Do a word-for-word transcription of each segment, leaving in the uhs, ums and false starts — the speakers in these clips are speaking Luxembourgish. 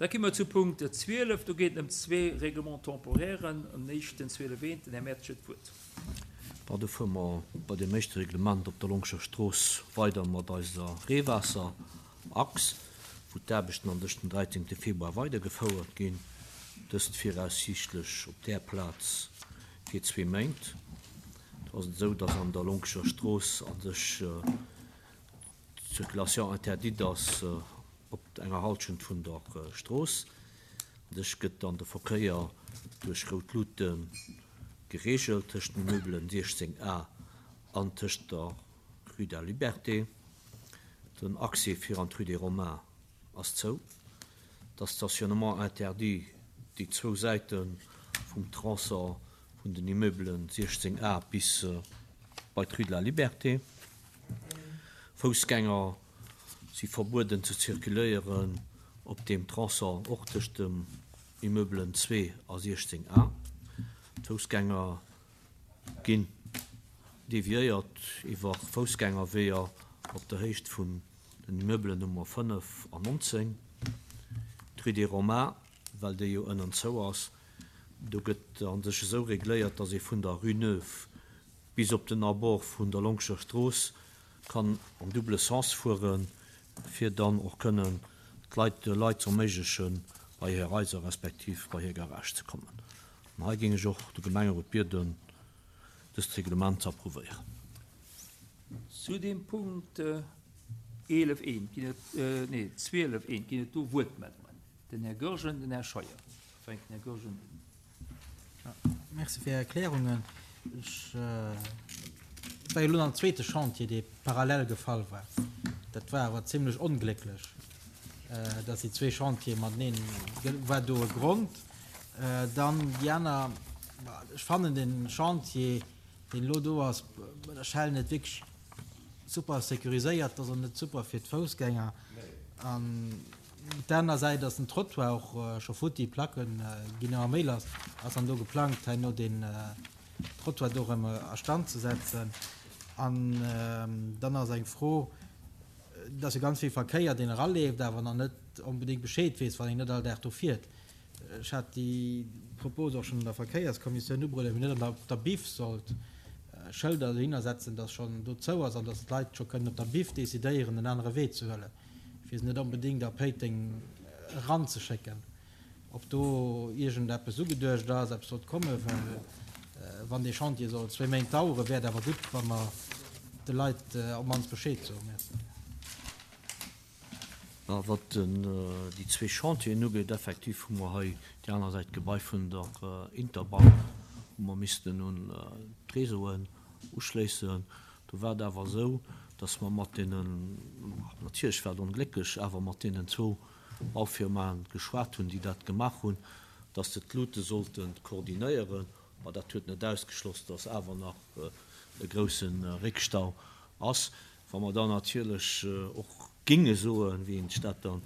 Da komme mer zu Punkt zwielef. Do geet et ëm zwee Règlements-temporairen. An éischten zwielef eent, den Här Mertsch huet d'Wuert. Bon, do fuere mer bei deem éischte Reglement op der Longscher Strooss weider mat eiser Reewaasserachs, wou d'Aarbechten an dech den dräizéngte Februar weidergefouert ginn, dëst viraussiichtlech op där Plaz fir zwee Méint. Do ass et esou, dass an der Longscher Strooss a sech d'Circulation interdite ass op enger Halschent vun der Strooss. A sech gëtt dann de Verkéier duerch rout Luute gereegelt tëscht den Immeubelen siechzéng A an tëscht der Rue de la Liberté. Den Accès fir an d'Rue des Romains ass zou. Das Stationnement interdit déi zwou Säite vum Tronçon vun den Immeubelen siechzéng A bis bei d'Rue de la Liberté. Foussgänger si verbueden ze zirkuléieren op deem Tronçon, och tëscht dem Immeubelen zwee a siechzéng A. D'Foussgänger ginn deviéiert iwwer Foussgängerweeër op der Héicht vun den Immeubelen Nummer fënnef an nonzéng. D'Rue des Romains, well déi jo ënnen zou ass, do gëtt a sech esou regléiert, datt ee vun der Rue Neuve bis op den Abord vun der Longscher Strooss kann am double Sens fueren, fir dann och kënnen d'Leit, de Leit ze erméiglechen, bei hir Haiser respektiv bei hir Garage ze kommen. An hei géing ech och de Gemengerot bieden, dëst Reglement ze approuvéieren. Zu deem Punkt eelef eent ginn et, nee, zwielef eent ginn et do Wuertmeldungen. Den Här Goergen, den Här Scheuer. Fänkt den Här Goergen un. Merci fir Är Erklärungen. Ech war jo elo am zweete Chantier, dee parallel gefall war. Dat war awer zimlech onglécklech, dass déi zwee Chantiere mateneen, war do e Grond. Dann déi aner, ech fannen den Chantier, deen elo do ass, bei der Shell net wierklech super sécuriséiert, ass och net super fir d'Foussgänger. An op der aner Säit ass den Trottoir och scho futti, d'Placke ginn ëmmer méi lass. Ass dann do geplangt, herno den Trottoir do erëm a Stand ze setzen? An dann ass eng Fro, et ass jo ganz vill Verkéier, deen eraleeft, awer nach net onbedéngt Bescheed weess, wann een net all Dag do fiert. Ech hat déi Propos och schonn an der Verkéierskommissioun ubruecht, ob een net op der Biff sollt Schëlder dohinner setzen, dass schonn do zou ass an dass d'Leit scho kënnen op der Biff decidéieren, en anere Wee ze huelen, fir se net onbedéngt a Péiteng eranzeschécken. Ob do iergendeppes ugeduecht ass, eppes sollt kommen, well wann dee Chantier soll zwee Méint daueren, wär et awer gutt, wa mer de Leit op d'mannst Bescheed soen. Merci. Wat déi zwee Chantieren ugeet, effektiv hu mer hei déi aner Säit d'Gebai vun der Interbank, wou mer missten un d'Réseauen uschléissen. Do war et awer esou, dass mer mat deenen, natierlech war et onglécklech, awer mat deenen zwou Baufirmaen geschwat hunn, déi dat gemaach hunn, dass se d'Luute sollte koordinéieren. Ma dat huet net ausgeschloss, dass awer nach e grousse Réckstau ass. Wa mer dann natierlech och ginge soen, wéi een sech dat dann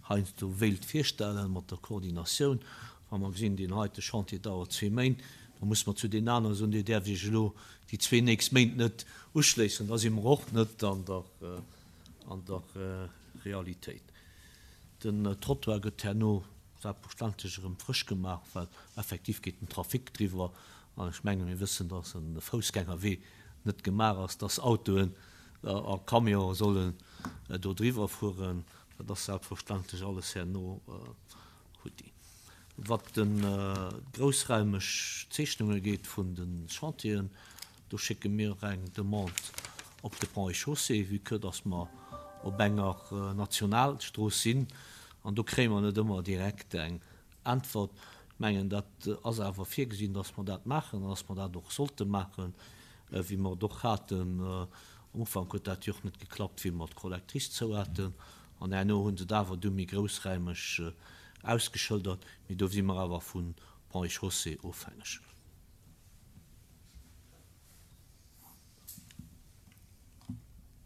heiansdo wéilt virstellen mat der Koordinatioun, wa mer gesinn, deen heite Chantier dauert zwee Méint, da muss mer zu deenen anere soen, Dir däerft Iech elo déi zwee nächst Méint net uschléissen. Da si mer och net an der, an der Realitéit. Den Trottoir gëtt herno selbstverständlech erëm frësch gemaach, well effektiv geet den Trafic driwwer. An ech menge mir wëssen, dass e Foussgängerwee net gemaach ass, dass Autoen a Camionen sollen do driwwer fueren. Dat ass selbstverständlech alles herno hutti. Wat de groussraimeg Zeechnunge geet vun de Chantieren, do schécke mir eng Demande op de Ponts et Chaussées, vue que dass mer op enger Nationalstrooss sinn, an do kréie mer net ëmmer direkt eng Äntwert. Ech mengen, dat ass awer virgesinn, dass mer dat maachen an dass mer dat och sollte maachen, wéi mer et och haten. Am Ufank huet dat jo och net geklappt, wéi mer d'Collectrice zou haten, an herno hu se et awer du méi groussräimeg ausgeschëldert. Mee do si mer awer vu Ponts et Chaussées ofhängeg.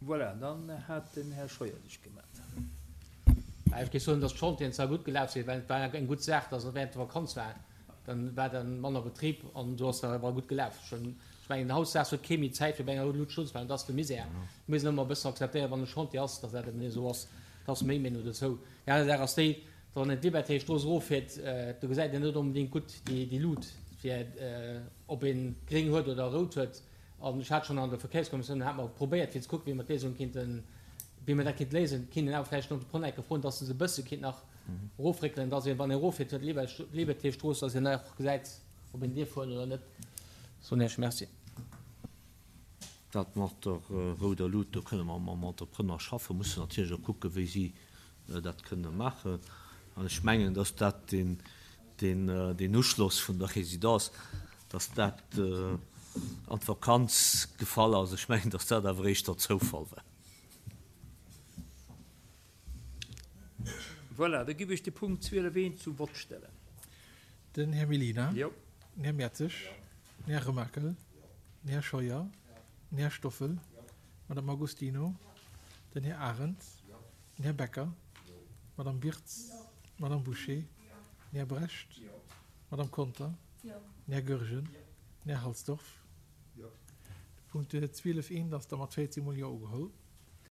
Voilà, dann hat den Här Scheuer sech gemellt. Ech géif soen, dass d'Chantieren zwar gutt gelaf sinn, well et war eng gutt Saach, dass et während der Vakanz war, dann war dann manner Betrib an do ass dat awer gutt gelaf. Ech mengen, hautdesdaags huet kee méi Zäit fir bei enger Luut stoen ze bleiwen, dat ass de Misär. Et muss een ëmmer e bëssen akzeptéieren, wann e Chantier ass, dass dat eben esou ass. Dat ass meng Meenung dozou. Déi aner Saach ass déi, Wann een d'Libertéstrooss eroffiert, do gesäit een net onbedéngt gutt déi Lut, fir ob ee gréng huet oder rout huet. An ech hat schonn an der Verkéierskommissioun, hate mer probéiert fir ze kucken, wéi mer d'Léisung kéinten, wéi mer dat kéint léisen. Et kéint een awer vläicht den Entrepreneur enke froen, dass se se e bësse kéint nach erofréckelen, dass een, wann ee eroffiert huet d'Libertéstrooss, dass een och gesäit, ob een dierf fueren oder net. Soen Iech Merci. Dat mat der rouder Lut, do kënne mer mam Entrepreneur schaffen, mussen natierlech och kucken, wéi si dat kënne maachen. An ech mengen, dass dat deen, deen, deen Uschloss vun der Résidence, dass dat an d'Vakanz gefall ass. Ech mengen, dass dat awer éischter Zoufall war. Voilà, da giff ech de Punkt zwielef eent zum Vott stellen. Den Här Mellina. Jo. Den Här Mertzig. Den Här Remakel. Den Här Scheuer. Den Här Stoffel. D'Madame Agostino. Den Här Arendt. Den Här Becker. D'Madame Wirtz. D'Madame Bouché. Den Här Brecht. D'Madame Conter. Den Här Goergen. Den Här Halsdorf. De Punkt zwielef eent ass da mat véierzéng mol Jo ugeholl.